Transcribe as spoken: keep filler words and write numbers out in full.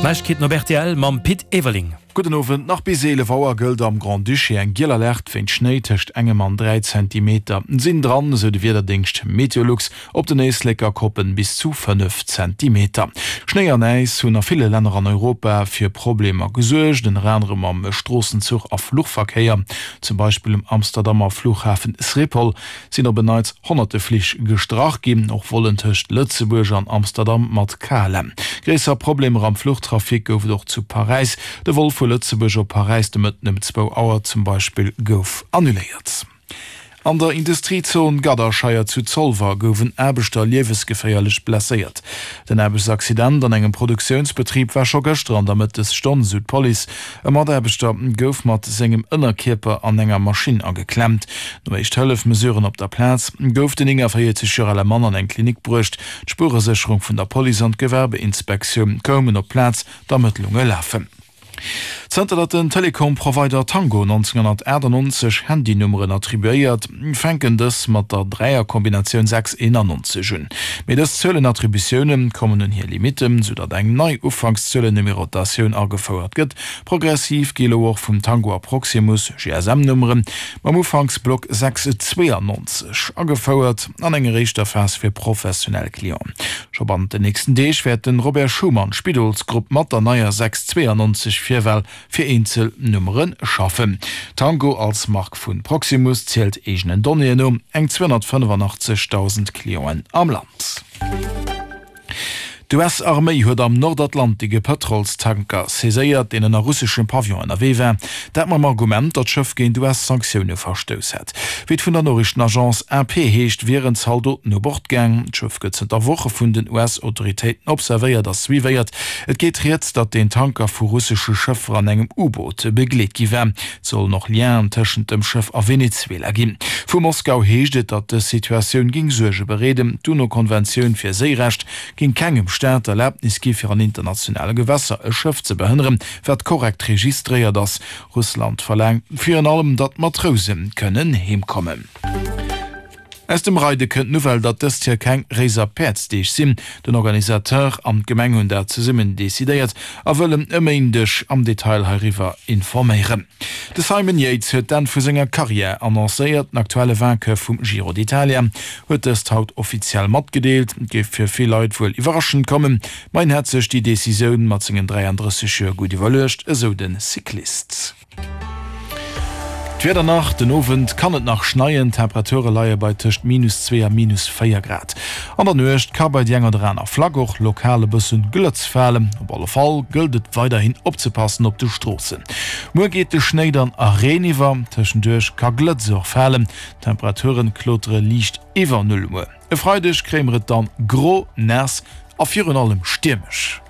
D'Neiegkeeten op rtl mam Pit Everling. Gudden Owend. Nach bis eelef Auer gëllt am Grand-Duché eng giel Alerte wéint Schnéi. Tëscht engem an dräi Zentimeter sinn dran, esou de Wiederdéngscht Meteolux. Op den Éisleker Koppen bis zu fënnef Zentimeter. Schnéi an Äis hunn a ville Länner an Europa fir Problemer gesuergt, ënner anerem am Stroossen-, Zuch a Fluchverkéier. Zum Beispill um Amsterdamer Flughafen Schiphol sinn op en Neits honnerte Flich gestrach ginn, och Vollen tëscht Lëtzebuerg an Amsterdam mat K L M. Gréisser Problemer am Fluchtrafic gouf et och zu Paräis. De Vol vu Lëtzebuerg op Paräis de Mëtten ëm zwou Auer zum Beispill gouf annuléiert. An der Industriezon Gadderscheier zu Zolwer gouf en Aarbechter liewesgeféierlech blesséiert. Den Aarbechtsaccident an engem Produktiounsbetrib war scho gëschter an der Mëttesstonn, sou d'Police. E Mataarbechter gouf mat sengem Ënnerkierper an enger Maschinn ageklemmt. No Éischt-Hëllef-Mesuren op der Plaz gouf den néngaavéierzeg Joer ale Mann an eng Klinik bruecht. D'Spueresécherung vun der Police an d'Gewerbeinspektioun koumen op d'Plaz, d'Ermëttlunge lafen. Zënter datt den Telekom-Provider Tango nonzénghonnertachtannonzeg Handynummeren attribuéiert, fänken dës mat der Dräierkombinatioun sechs eenannonzeg un. Mee dës Zuelenattributioune kommen un hir Limitten, sou datt eng nei Ufankszuelennumerotatioun agefouert gëtt. Progressiv gi elo och vum Tango a Proximus G S M-Nummere mam Ufanksblock sechs zweeannonzeg agefouert, an enger éischter Phas fir professionell Clienten. Scho bannent den nächsten Deeg wäert de Robert Schuman Spidolsgrupp mat der neier sechs zweeannonzeg Virwal fir eenzel Nummere schaffen. Tango als Mark vu Proximus zielt eegenen Donnéeën no eng zweehonnertfënnefenachtzegdausend Clienten am Land. D'U S-Arméi huet am Nordatlantik e Pëtrolstanker saiséiert, deen ënner russeschem Pavillon ënnerwee war. Dat mam Argument, datt d'Schëff géint U S-Sanktioune verstouss hätt. Wéi et vun der Noriichtenagence A P heescht, wieren Zaldoten u Bord gaang. D'Schëff gëtt zënter Woche vun den U S-Autoritéiten observéiert a suivéiert. Et geet rieds, datt deen Tanker vu russesche Schëffer an engem U-Boot begleet gi war. Et sollen och Lienen tëschent dem Schëff a Venezuela ginn. Vu Moskau heescht et, datt dës Situatioun géing Suerge bereeden. D'UNO-Konventioun fir Séirecht géing kengem Staat d'Erlaabnis gi fir an internationale Gewässer e Schëff ze behënneren, wat korrekt registréiert ass. Russland verlaangt virun allem, datt d'Matrouse kënnen heemkommen. Aus dem Reide kënnt d'Nouvelle, datt dëst Joer keng Réiser Päerdsdeeg sinn. Den Organisateur an d'Gemeng hunn dat zesummen decidéiert a wëllen e Méindeg am Detail heiriwwer informéieren. De Simon Yates huet d'Enn vu senger Karriär annoncéiert. Den aktuelle Vainqueur vum Giro d'Italia huet dëst haut offiziell matgedeelt. Et géif fir vill Leit wuel iwwerraschend kommen, ma hien hätt sech déi Decisioun mat sengen dräiandrësseg Joer gutt iwwerluecht, esou de Cyclist. D'Wieder nach, Den Owend kann et nach schneien, d'Temperature leie bei tëscht minus zwee a minus véier Grad. An der Nuecht ka bei déi eng oder aner Flack och lokal e bëssen Glëtz falen. Op alle Fall gëllt et weiderhin opzepassen op de Stroossen. Muer geet de Schnéi dann a Reen iwwer, tëschenduerch ka Glëtz och falen. D'Temperature klotere liicht iwwer Null. Muer e Freideg kréie mer et dann gro, naass a virun allem stiermesch.